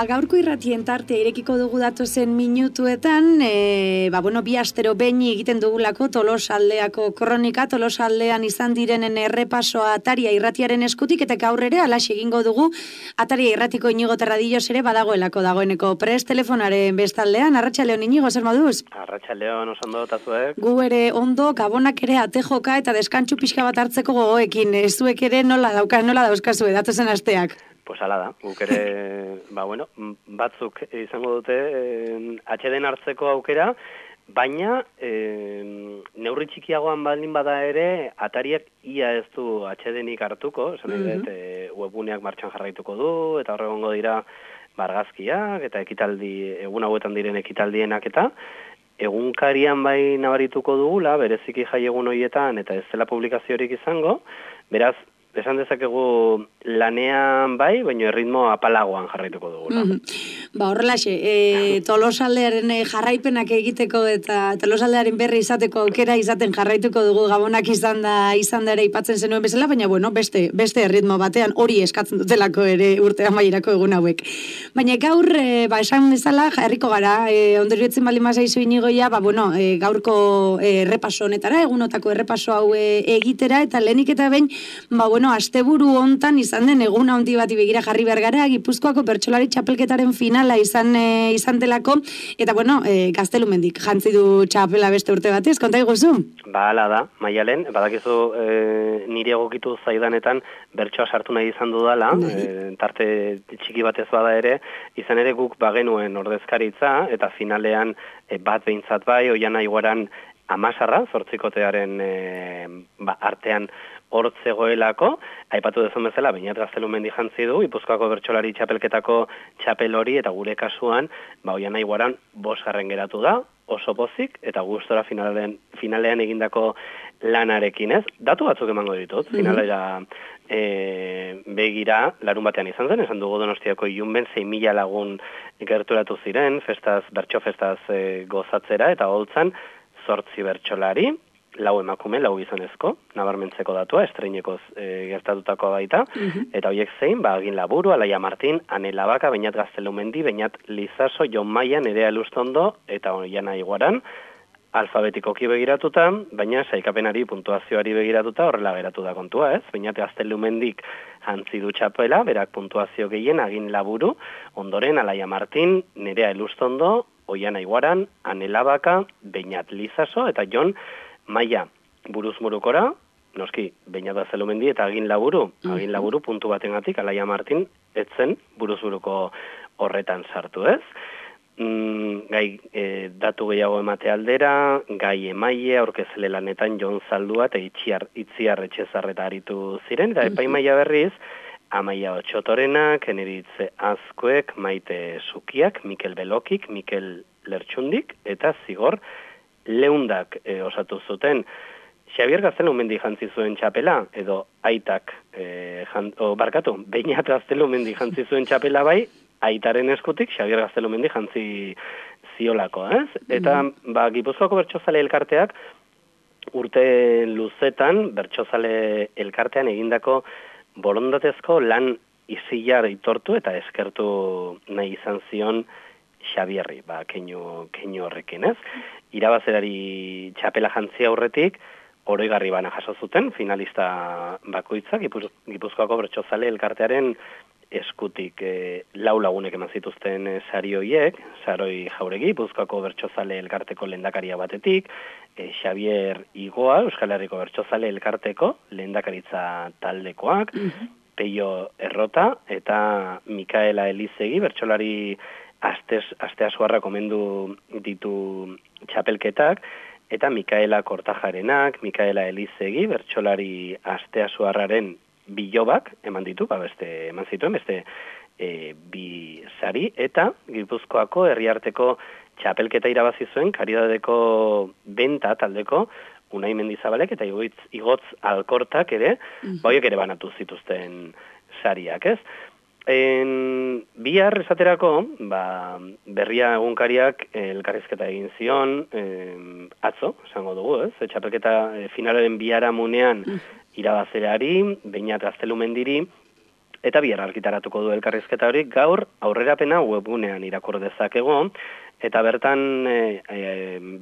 gaurko irratien tartea irekiko dugu datozen minutuetan, bi astero behin egiten dugulako Tolosaldeako kronika, Tolosaldean izan direnen errepasoa Ataria irratiaren eskutik, eta gaur ere alaxe egingo dugu Ataria irratiko Inigo Terradillos ere badagoelako dagoeneko prest telefonaren bestaldean. Arratsaldeon Inigo, zer moduz? Arratsaldeon, oso ondo, eta zuek? Gu ere ondo, gabonak ere ate joka eta deskantsu pixka bat hartzeko gogoekin, zuek ere nola dauzkazue datozen asteak? Pues ala da, guk ere, batzuk izango dute atxeden hartzeko aukera, baina neurri txikiagoan baldin bada ere, Atariak ia ez du atxedenik hartuko, esan dut, webguneak martxan jarraituko du, eta horregongo dira argazkiak, eta ekitaldi, egun hauetan diren ekitaldienak eta, egunkarian bai nabarituko dugula, bereziki jai egun horietan, eta ez dela publikaziorik izango, beraz, esan dezakegu lanean bai, baina erritmo apalagoan jarraituko dugula. Horrelaxe, Tolosaldearen jarraipenak egiteko eta Tolosaldearen berri izateko aukera izaten jarraituko dugu gabonak izan da ere ipatzen zenuen bezala, baina beste erritmo batean hori eskatzen dutelako ere urte amaierako egun hauek. Baina gaur, esan bezala, jarriko gara, ondorioetzen bali mazaizu Inigoia, gaurko errepaso honetara, egunotako errepaso hau egitera, eta lehenik eta behin, asteburu hontan izan den egun handi bati begira jarri behar gara, Gipuzkoako bertsolari txapelketaren finala izan delako, eta Gaztelumendik jantzi du txapela beste urte batez, konta iguzu? Hala da, Maialen, badakizu nire egokitu zaidanetan bertsoa sartu nahi izan dudala, tarte txiki batez bada ere, izan ere guk bagenuen ordezkaritza, eta finalean bat behintzat bai, Oiana Iguaran Amasarra, zortzikotearen artean hortzegoelako, aipatu dezun bezala, Beñat Gaztelumendi jantzi du, Gipuzkoako bertsolari txapelketako txapel hori, eta gure kasuan, Oiana Iguaran 5. geratu da, oso pozik, eta gustora finalean egindako lanarekin, ez? Datu batzuk emango ditut, finalera begira, larun batean izan zen, esan dugu Donostiako Ilunben 6.000 lagun gerturatu ziren, bertso festaz gozatzera, eta holtzan 8 bertsolari, 4 emakume, 4 gizonezko, nabarmentzeko datua, estreinekoz gertatutako baita, eta horiek zein, Agin Laburu, Alaia Martin, Ane Labaka, Beñat Gaztelumendi, Beñat Lizaso, Jon Maia, Nerea Elustondo, eta Oiana Iguaran, alfabetikoki begiratuta, baina saikapenari puntuazioari begiratuta horrela geratu da kontua, ez? Beñat Gaztelumendik jantzi du txapela, berak puntuazio gehien, Agin Laburu, ondoren Alaia Martin, Nerea Elustondo, Oiana Iguaran, Ane Labaka, Beñat Lizaso, eta Jon Maia buruz murukora, noski, Beñat Gaztelumendi eta Agin Laburu puntu batengatik, Alaia Martin, etzen buruz buruko horretan sartu, ez? Gai datu gehiago emate aldera, gai emaile, aurkezle lanetan Jon Zaldua eta Itziar Etxezarreta aritu ziren, eta epaimaia berriz, Amaia Otxotorenak, Eneritze Azkuek, Maite Zukiak, Mikel Belokik, Mikel Lertxundik, eta Zigor Leundak osatu zuten. Xabier Gaztelumendi jantzi zuen txapela, edo aitak, Beñat Gaztelumendi jantzi zuen txapela bai, aitaren eskutik Xabier Gaztelumendi jantzi ziolako, ez? Eta, Gipuzkoako bertsozale elkarteak, urte luzetan, bertsozale elkartean egindako borondatezko lan izilar itortu eta eskertu nahi izan zion Xabierri, keinu horrekin, ez? Irabazerari txapela jantzi aurretik, oroigarri bana jaso zuten, finalista bakoitzak, Gipuzkoako bertsozale elkartearen eskutik 4 lagunek eman zituzten sari horiek, Saroi Jauregi, Gipuzkoako bertsozale elkarteko lehendakaria batetik, Xabier Igoa, Euskal Herriko bertsozale elkarteko lehendakaritza taldekoak, Peio Errota eta Mikaela Elizegi, bertsolari Asteasuarra komendu ditu txapelketak, eta Mikaela Kortajarenak, Mikaela Elizegi, bertsolari Asteasuarraren bilobak eman ditu, eman zituen, beste 2 sari, eta Gipuzkoako herriarteko txapelketa irabazi zuen, Karidadeko Benta taldeko, Unai Mendizabalek eta Igotz Alkortak ere, horiek ere banatu zituzten sariak, ez? Bihar esaterako, berria egunkariak elkarrizketa egin zion, atzo, esango dugu, ez? Txapelketa finalaren biharamunean irabazerari, Beñat Gaztelumendiri, eta bihar argitaratuko du elkarrizketa hori, gaur aurrerapena webgunean irakur dezakegu, eta bertan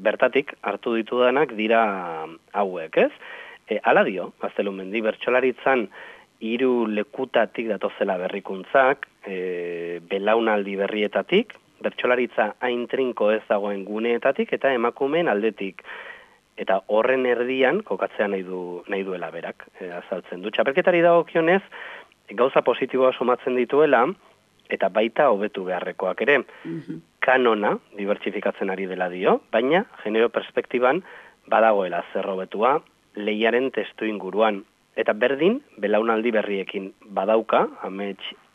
bertatik hartu ditudanak dira hauek, ez? Hala dio, Gaztelumendi, bertsolaritzan 3 lekutatik datozela berrikuntzak, belaunaldi berrietatik, bertsolaritza hain trinko ez dagoen guneetatik eta emakumeen aldetik. Eta horren erdian kokatzea nahi duela berak, azaltzen du. Txapelketari dagokionez, gauza positiboa somatzen dituela, eta baita hobetu beharrekoak ere. Kanona dibertsifikatzen ari dela dio, baina genero perspektiban badagoela zer hobetua lehiaren testu inguruan. Eta berdin, belaunaldi berriekin badauka,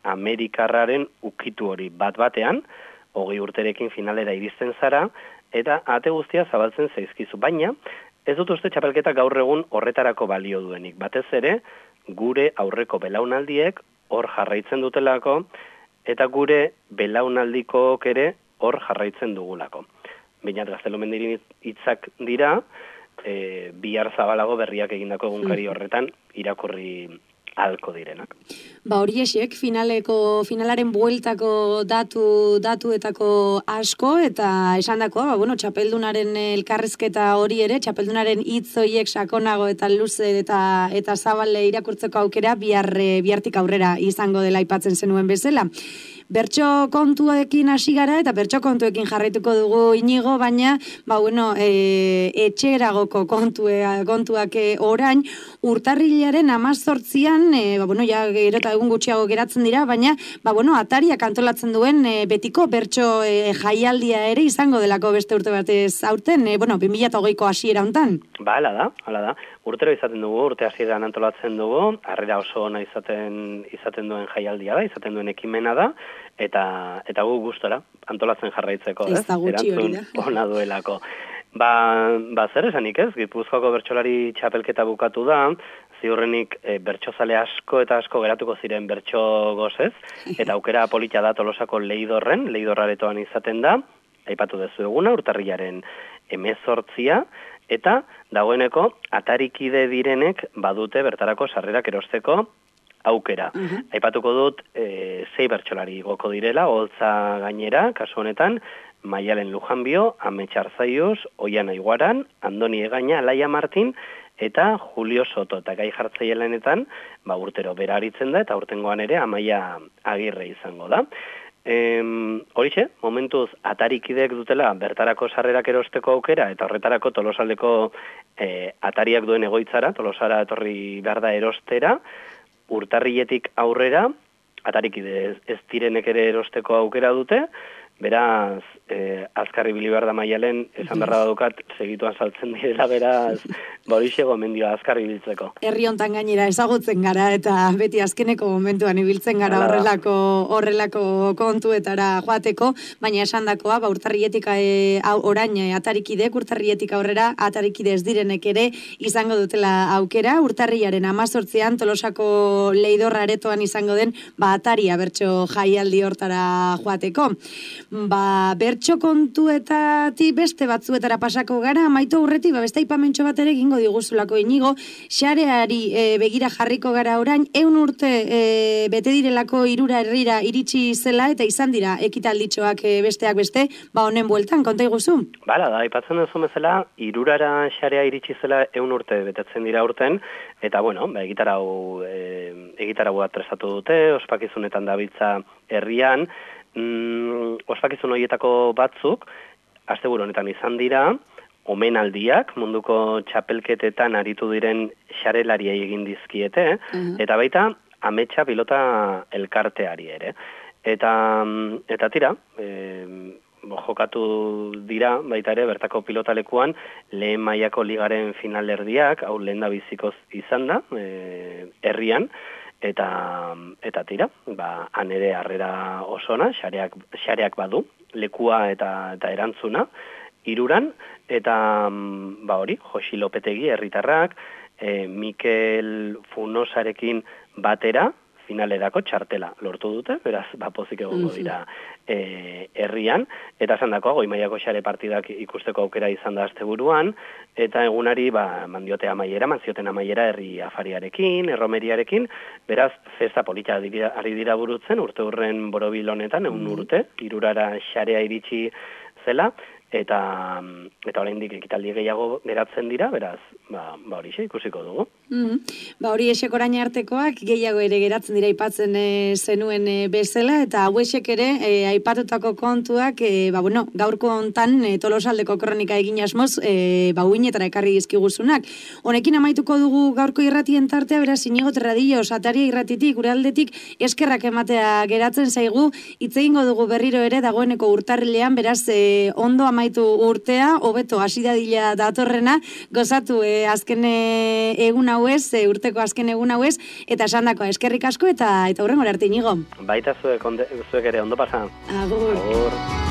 Amerikarraren ukitu hori bat-batean, 20 urterekin finalera iristen zara, eta ate guztia zabaltzen zaizkizu. Baina, ez dut uste txapelketa gaur egun horretarako balio duenik. Batez ere, gure aurreko belaunaldiek hor jarraitzen dutelako, eta gure belaunaldikook ere hor jarraitzen dugulako. Baina Gaztelumendiren hitzak dira, bihar zabalago berriak egindako egunkari horretan irakurri alko direnak. Hori esek, finalaren bueltako datuetako asko, eta esandakoa, txapeldunaren elkarrizketa hori ere, txapeldunaren hitz horiek sakonago eta luze eta zabale irakurtzeko aukera bihartik aurrera izango dela aipatzen zenuen bezala. Bertso kontuekin hasi gara eta bertso kontuekin jarraituko dugu Inigo, baina etxeragoko kontuak orain urtarrilaren 18an, ja gero eta egun gutxiago geratzen dira, baina Atariak antolatzen duen betiko bertso jaialdia ere izango delako beste urte batez aurten, 2020ko hasiera hontan. Hala da. Urtero izaten dugu, urte hasieran antolatzen dugu, harrera oso ona izaten duen jaialdia da, izaten duen ekimena da, eta gu gustora antolatzen jarraitzeko, ez? Erantzun ona duelako. Zer esanik ez, Gipuzkoako bertsolari txapelketa bukatu da, ziurrenik bertsozale asko eta asko geratuko ziren bertso gozez, eta aukera polita da Tolosako leidorraretoan izaten da, aipatu dezu eguna, urtarrilaren 18, eta dagoeneko atarikide direnek badute bertarako sarrerak erosteko aukera. Aipatuko dut 6 bertsolari goko direla, Oltza gainera, kasu honetan, Maialen Lujanbio, Amets Arzaiuz, Oiana Iguaran, Andoni Egaña, Alaia Martin, eta Julio Soto, eta gai jartzailenetan, urtero bera aritzen da, eta urtengoan ere Amaia Agirre izango da. Horixe, momentuz atarikidek dutela bertarako sarrerak erosteko aukera, eta horretarako Tolosaldeko atariak duen egoitzara, Tolosara etorri behar da erostera, urtarriletik aurrera, atarikide ez direnek ere erosteko aukera dute, beraz, azkarri bilibar da Maialen, esan berra badukat, segituan saltzen direla, beraz, horixe gomendioa azkarri biltzeko. Herri hontan gainera ezagutzen gara, eta beti azkeneko momentuan ibiltzen gara horrelako kontuetara joateko, baina esandakoa, urtarrietik orain atarikidek, urtarrietik aurrera atarikide ez direnek ere izango dutela aukera, urtarriaren 18an Tolosako leidorra aretoan izango den, ataria bertso jaialdi hortara joateko. Bertso kontuetatik beste batzuetara pasako gara, amaitu aurretik, beste aipamentxo bat ere egingo diguzulako Inigo, xareari begira jarriko gara orain, 100 urte bete direlako Irura herrira iritsi zela, eta izan dira ekitalditxoak besteak beste, honen bueltan, konta iguzu? Da, aipatzen duzu bezala, Irurara xarea iritsi zela 100 urte betetzen dira urten, eta egitarau bat prestatu dute, ospakizunetan dabiltza herrian, ospakizun horietako batzuk, asteburu honetan izan dira, omenaldiak, munduko txapelketetan aritu diren xarelariei egin dizkiete, eta baita ametsa pilota elkarteari ere. Eta tira, jokatu dira, baita ere, bertako pilotalekuan, lehen mailako ligaren finalerdiak, hau lehen da bizikoz izan da, herrian, eta tira, han ere harrera osona, xareak badu, lekua eta erantzuna, Iruran, eta hori, Josi Lopetegi herritarrak, Mikel Funosarekin batera, finalerako txartela lortu dute, beraz, pozik egongo dira herrian, eta esan dakoa, goi mailako xare partidak ikusteko aukera izan da asteburuan, eta egunari mandiote amaiera, manzioten amaiera herri afariarekin, erromeriarekin, beraz, festa polita ari dira burutzen, urte hurren borobil honetan, egun urte, irurara xarea iritsi zela, eta oraindik ekitaldi gehiago geratzen dira, beraz, horixe ikusiko dugu. Hori esek orain artekoak gehiago ere geratzen dira aipatzen zenuen bezala, eta hauesek ere aipatutako kontuak, gaurko hontan Tolosaldeko kronika egin asmoz, uinetara ekarri dizkiguzunak. Honekin amaituko dugu gaurko irratien tartea, beraz, Inigo Terradillo, Sataria irratitik, gure aldetik, eskerrak ematea geratzen zaigu, hitz egingo dugu berriro ere dagoeneko urtarrilean, beraz, ondo amaitu urtea, hobeto hasi dadila datorrena, gozatu azken egun hauez, urteko azken egun hauez, eta esandakoa eskerrik asko eta hurrengora arte, Inigo. Baita zuek ere ondo pasa. Agur. Agur.